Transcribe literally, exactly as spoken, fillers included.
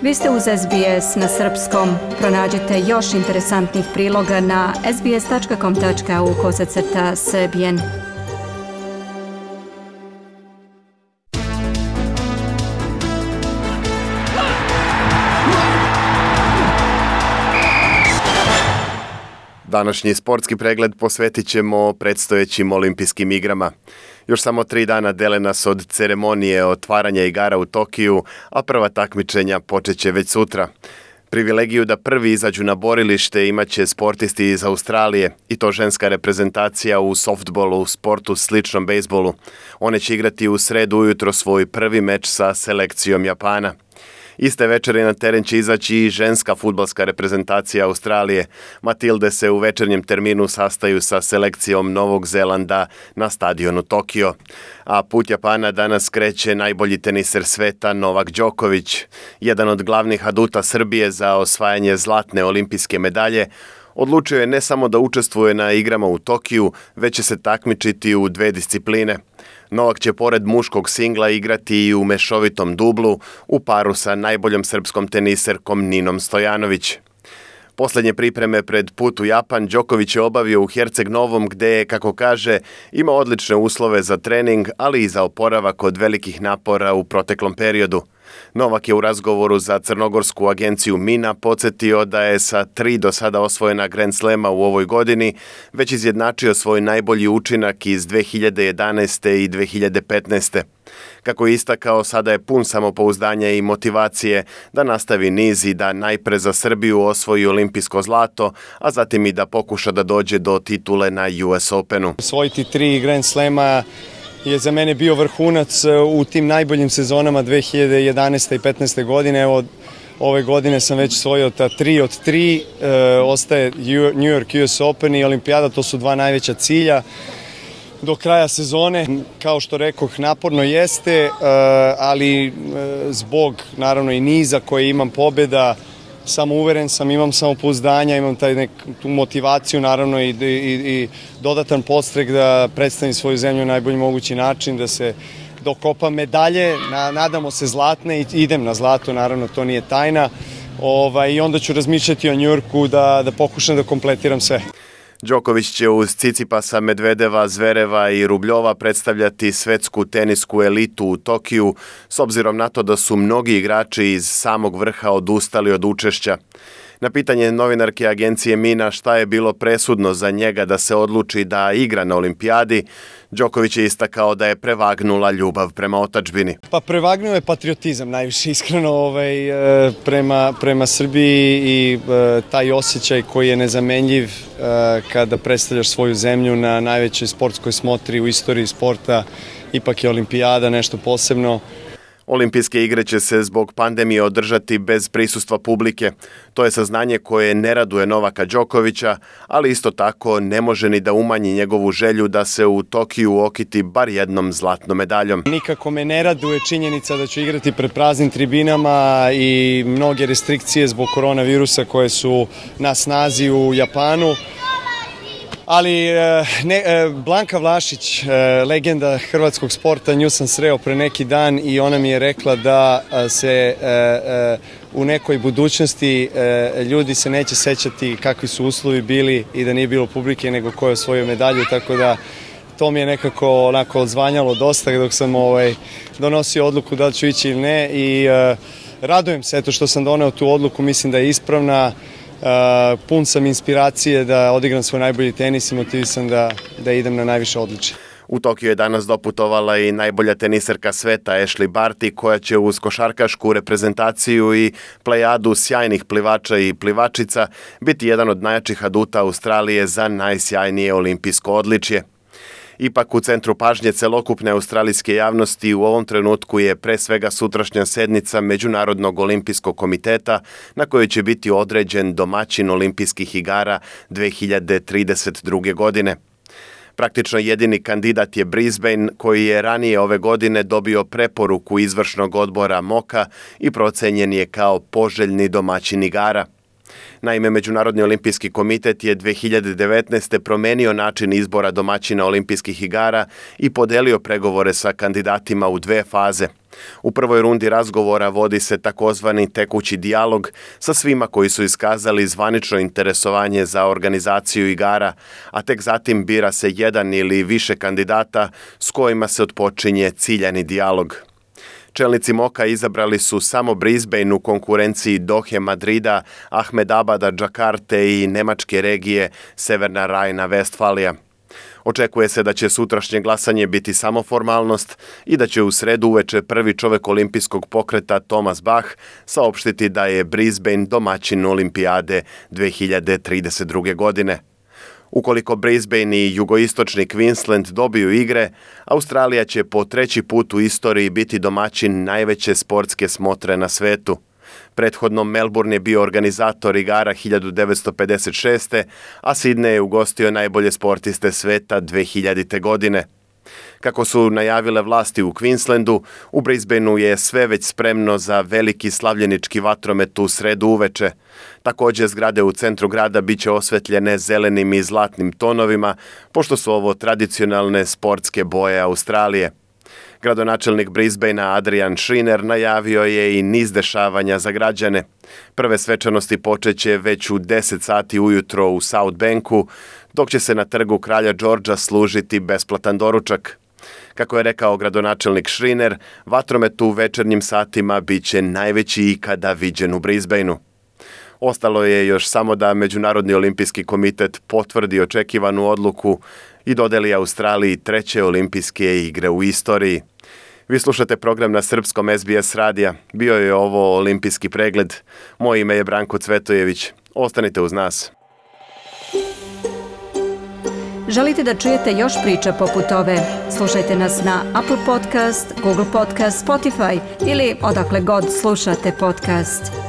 Vi ste uz S B S na srpskom. Pronađite još interesantnih priloga na sbs.com tačka au kosacrta srbijen. Današnji sportski pregled posvetit ćemo predstojećim olimpijskim igrama. Još samo tri dana dele nas od ceremonije otvaranja igara u Tokiju, a prva takmičenja počet će već sutra. Privilegiju da prvi izađu na borilište imat će sportisti iz Australije, i to ženska reprezentacija u softbolu, sportu sličnom bejsbolu. One će igrati u sredu ujutro svoj prvi meč sa selekcijom Japana. Iste večeri na teren će izaći i ženska fudbalska reprezentacija Australije. Matilde se u večernjem terminu sastaju sa selekcijom Novog Zelanda na stadionu Tokio. A put Japana danas kreće najbolji teniser sveta Novak Đoković. Jedan od glavnih aduta Srbije za osvajanje zlatne olimpijske medalje, odlučio je ne samo da učestvuje na igrama u Tokiju, već će se takmičiti u dve discipline. Novak će pored muškog singla igrati i u mešovitom dublu u paru sa najboljom srpskom teniserkom Ninom Stojanović. Poslednje pripreme pred put u Japan Đoković je obavio u Herceg Novom gde je, kako kaže, ima odlične uslove za trening, ali i za oporavak od velikih napora u proteklom periodu. Novak je u razgovoru za crnogorsku agenciju Mina podsjetio da je sa tri do sada osvojena Grand Slema u ovoj godini već izjednačio svoj najbolji učinak iz dve hiljade jedanaeste. i dve hiljade petnaeste. Kako je istakao, sada je pun samopouzdanja i motivacije da nastavi niz i da najpre za Srbiju osvoji olimpijsko zlato, a zatim i da pokuša da dođe do titule na U S Openu. Osvojiti tri Grand Slema je za mene bio vrhunac u tim najboljim sezonama dve hiljade jedanaeste. i petnaeste. godine. Evo, ove godine sam već osvojio ta tri od tri, e, ostaje New York U S Open i Olimpijada, to su dva najveća cilja. Do kraja sezone, kao što rekoh, naporno jeste, ali zbog naravno i niza koje imam pobjeda, samo uveren sam, imam samopouzdanja, imam taj nek, tu motivaciju naravno i, i, i dodatan podstrek da predstavim svoju zemlju na najbolji mogući način, da se dokopam medalje, na, nadamo se zlatne i idem na zlato, naravno to nije tajna, ovaj, i onda ću razmišljati o Njujorku da, da pokušam da kompletiram sve. Đoković će uz Cicipasa, Medvedeva, Zvereva i Rubljova predstavljati svetsku tenisku elitu u Tokiju, s obzirom na to da su mnogi igrači iz samog vrha odustali od učešća. Na pitanje novinarke agencije Mina šta je bilo presudno za njega da se odluči da igra na olimpijadi, Đoković je istakao da je prevagnula ljubav prema otadžbini. Pa prevagnuo je patriotizam najviše, iskreno, ovaj, prema, prema Srbiji i taj osjećaj koji je nezamenljiv kada predstavljaš svoju zemlju na najvećoj sportskoj smotri u istoriji sporta. Ipak je olimpijada nešto posebno. Olimpijske igre će se zbog pandemije održati bez prisustva publike. To je saznanje koje ne raduje Novaka Đokovića, ali isto tako ne može ni da umanji njegovu želju da se u Tokiju okiti bar jednom zlatnom medaljom. Nikako me ne raduje činjenica da ću igrati pred praznim tribinama i mnoge restrikcije zbog koronavirusa koje su na snazi u Japanu. Ali ne, Blanka Vlašić, legenda hrvatskog sporta, nju sam sreo pre neki dan i ona mi je rekla da se u nekoj budućnosti ljudi se neće sećati kakvi su uslovi bili i da nije bilo publike nego ko je osvojio medalju, tako da to mi je nekako onako odzvanjalo dosta dok sam ovaj, donosio odluku da li ću ići ili ne i radujem se eto što sam doneo tu odluku, mislim da je ispravna. Uh, pun sam inspiracije da odigram svoj najbolji tenis i motivisan da, da idem na najviše odličje. U Tokiju je danas doputovala i najbolja teniserka sveta Ashley Barty, koja će uz košarkašku reprezentaciju i plejadu sjajnih plivača i plivačica biti jedan od najjačih aduta Australije za najsjajnije olimpijsko odličje. Ipak u centru pažnje celokupne australijske javnosti u ovom trenutku je pre svega sutrašnja sednica Međunarodnog olimpijskog komiteta na kojoj će biti određen domaćin olimpijskih igara dve hiljade trideset druge. godine. Praktično jedini kandidat je Brisbane, koji je ranije ove godine dobio preporuku izvršnog odbora M O K A i procenjen je kao poželjni domaćin igara. Naime, Međunarodni olimpijski komitet je dve hiljade devetnaeste. promenio način izbora domaćina olimpijskih igara i podelio pregovore sa kandidatima u dve faze. U prvoj rundi razgovora vodi se takozvani tekući dijalog sa svima koji su iskazali zvanično interesovanje za organizaciju igara, a tek zatim bira se jedan ili više kandidata s kojima se otpočinje ciljani dijalog. Čelnici Moka izabrali su samo Brisbane u konkurenciji Dohe, Madrida, Ahmedabada, Džakarte i nemačke regije Severna Rajna-Vestfalija. Očekuje se da će sutrašnje glasanje biti samo formalnost i da će u sredu uveče prvi čovek olimpijskog pokreta Thomas Bach saopštiti da je Brisbane domaćin olimpijade dve hiljade trideset druge. godine. Ukoliko Brisbane i jugoistočni Queensland dobiju igre, Australija će po treći put u istoriji biti domaćin najveće sportske smotre na svetu. Prethodno Melbourne je bio organizator igara hiljadu devetsto pedeset šeste. a Sydney je ugostio najbolje sportiste sveta dve hiljadite. godine. Kako su najavile vlasti u Queenslandu, u Brisbaneu je sve već spremno za veliki slavljenički vatromet u sredu uveče. Također zgrade u centru grada bit će osvetljene zelenim i zlatnim tonovima, pošto su ovo tradicionalne sportske boje Australije. Gradonačelnik Brisbanea Adrian Schrinner najavio je i niz dešavanja za građane. Prve svečanosti počeće već u deset sati ujutro u South Banku, dok će se na trgu Kralja Đorđa služiti besplatan doručak. Kako je rekao gradonačelnik Schrinner, vatromet u večernjim satima bit će najveći ikada viđen u Brisbaneu. Ostalo je još samo da Međunarodni olimpijski komitet potvrdi očekivanu odluku i dodeli Australiji treće olimpijske igre u istoriji. Vi slušate program na srpskom S B S radija. Bio je ovo olimpijski pregled. Moje ime je Branko Cvetojević. Ostanite uz nas. Želite da čujete još priča poput ove? Slušajte nas na Apple Podcast, Google Podcast, Spotify ili odakle god slušate podcast.